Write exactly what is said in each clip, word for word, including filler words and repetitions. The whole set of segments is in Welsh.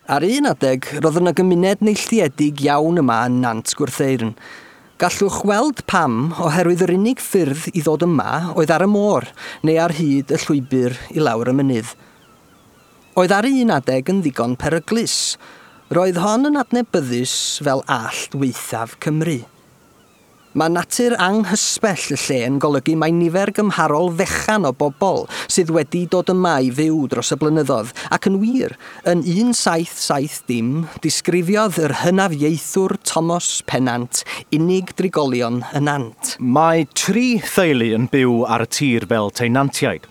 Ar un adeg, roedd yna gymuned neilltuedig iawn yma yn Nant Gwrtheyrn. Gallwch weld pam, oherwydd yr unig ffyrdd i ddod yma oedd ar y môr, neu ar hyd y llwybr i lawr y mynydd. Oedd ar un adeg yn ddigon peryglus. Roedd hon yn adnabyddus fel allt waethaf Cymru. Mae natur anghysbell y lle yn golygu mae nifer gymharol fechan o bobl sydd wedi dod yma i fyw dros y blynyddoedd, ac yn wir, yn un saith saith dim, disgrifiodd yr hynafiaethwr Thomas Pennant unig drigolion y nant. Mae tri theulu yn byw ar y tir fel tenantiaid,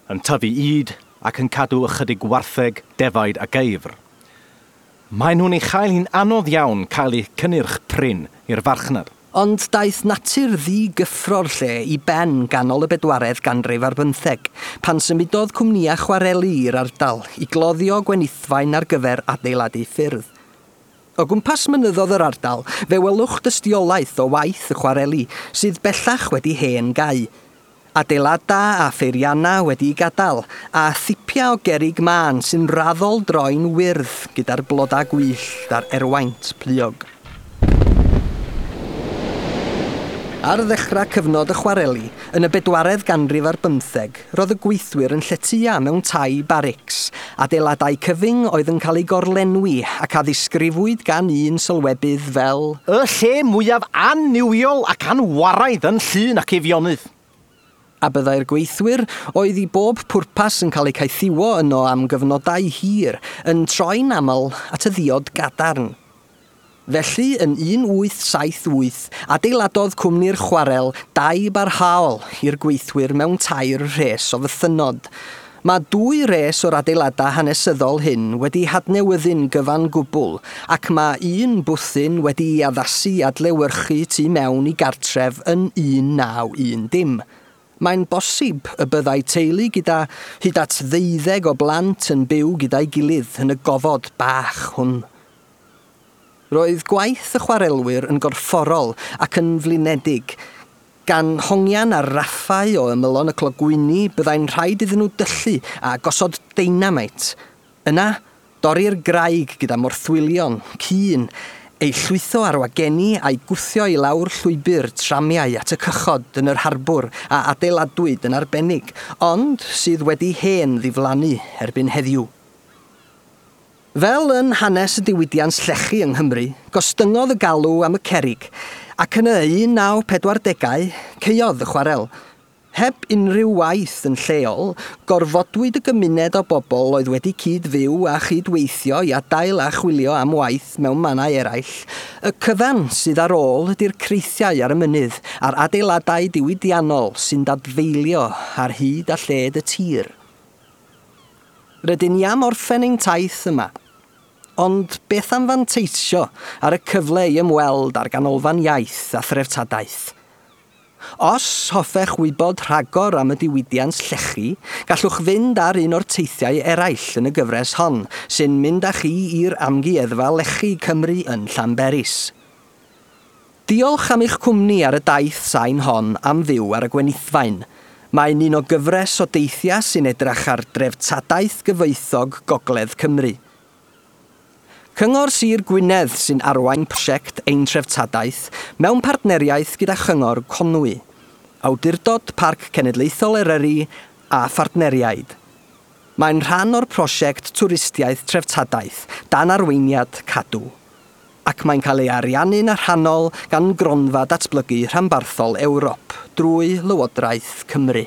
yn tyfu ŷd ac yn cadw ychydig wartheg, defaid a geifr. Maen nhw'n ei chael hi'n anodd iawn cael eu cynnyrch prin i'r farchnad. Ond daeth natur ddigyffro'r lle i ben ganol y bedwaredd ganrif ar bymtheg, pan symudodd cwmnïau chwareli i'r ardal i gloddio gwenithfaen ar gyfer adeiladu ffyrdd. O gwmpas mynyddodd yr ardal, fe welwch dystiolaeth o waith y chwareli, sydd bellach wedi hen gau. Adeilada a pheirianna wedi'i gadael, a thipia o gerrig mân sy'n raddol droi'n wyrdd gyda'r blodau gwyllt a'r erwaint pluog. Ar ddechrau cyfnod y chwareli, yn y bedwaredd ganrif ar bymtheg, roedd y gweithwyr yn lletya mewn tai barics, adeiladau cyfyng oedd yn cael eu gorlenwi ac a ddisgrifwyd gan un sylwebydd fel y lle mwyaf annuwiol ac anwaraidd yn Llŷn ac Eifionydd. A byddai'r gweithwyr, oedd i bob pwrpas yn cael eu caethiwo yno am gyfnodau hir, yn troi'n aml at y ddiod gadarn. Felly, yn un wyth saith wyth, adeiladodd cwmni'r chwarel dau barhaol i'r gweithwyr mewn tair rhes o fythynnod. Mae dwy res o'r adeiladau hanesyddol hyn wedi hadnewyddu'n gyfan gwbl, ac mae un bwthyn wedi'i addasu adlewyrchu tu mewn i gartref yn un naw un dim. Mae'n bosib y byddai teulu gyda hyd at ddeuddeg o blant yn byw gyda'i gilydd yn y gofod bach hwn. Roedd gwaith y chwarelwyr yn gorfforol ac yn flinedig. Gan hongian ar raffau o ymylon y clogwyni, byddai'n rhaid iddyn nhw dyllu a gosod deinameit. Yna, dorri'r graig gyda morthwylion, cyn, ei llwytho ar wageni a'i gwthio i lawr llwybr tramiau at y cychod yn yr harbwr a adeiladwyd yn arbennig, ond sydd wedi hen ddiflannu erbyn heddiw. Fel yn hanes y diwydiant llechi yng Nghymru, gostyngodd y galw am y cerrig, ac yn y un naw pedwar degau, caeodd y chwarel. Heb unrhyw waith yn lleol, gorfodwyd y gymuned o bobl oedd wedi cyd-fyw a chydweithio i adael a chwilio am waith mewn mannau eraill. Y cyfan sydd ar ôl ydy'r creithiau ar y mynydd a'r adeiladau diwydiannol sy'n dadfeilio ar hyd a lled y tir. Rydyn ni am orffen ein taith yma, ond beth am fanteisio ar y cyfle i ymweld â'r ganolfan iaith a threftadaeth? Os hoffech wybod rhagor am y diwydiant llechi, gallwch fynd ar un o'r teithiau eraill yn y gyfres hon, sy'n mynd â chi i'r Amgueddfa Lechi Cymru yn Llanberis. Diolch am eich cwmni ar y daith sain hon am fyw ar y gwenithfaen. Mae'n un o gyfres o deithiau sy'n edrych ar dreftadaeth gyfoethog Gogledd Cymru. Cyngor Sir Gwynedd sy'n arwain prosiect Ein Treftadaeth mewn partneriaeth gyda Chyngor Conwy, Awdurdod Parc Cenedlaethol Eryri a phartneriaid. Mae'n rhan o'r prosiect Twristiaeth Treftadaeth dan arweiniad Cadw, ac mae'n cael ei ariannu'n rhannol gan Gronfa Datblygu Rhanbarthol Ewrop drwy Lywodraeth Cymru.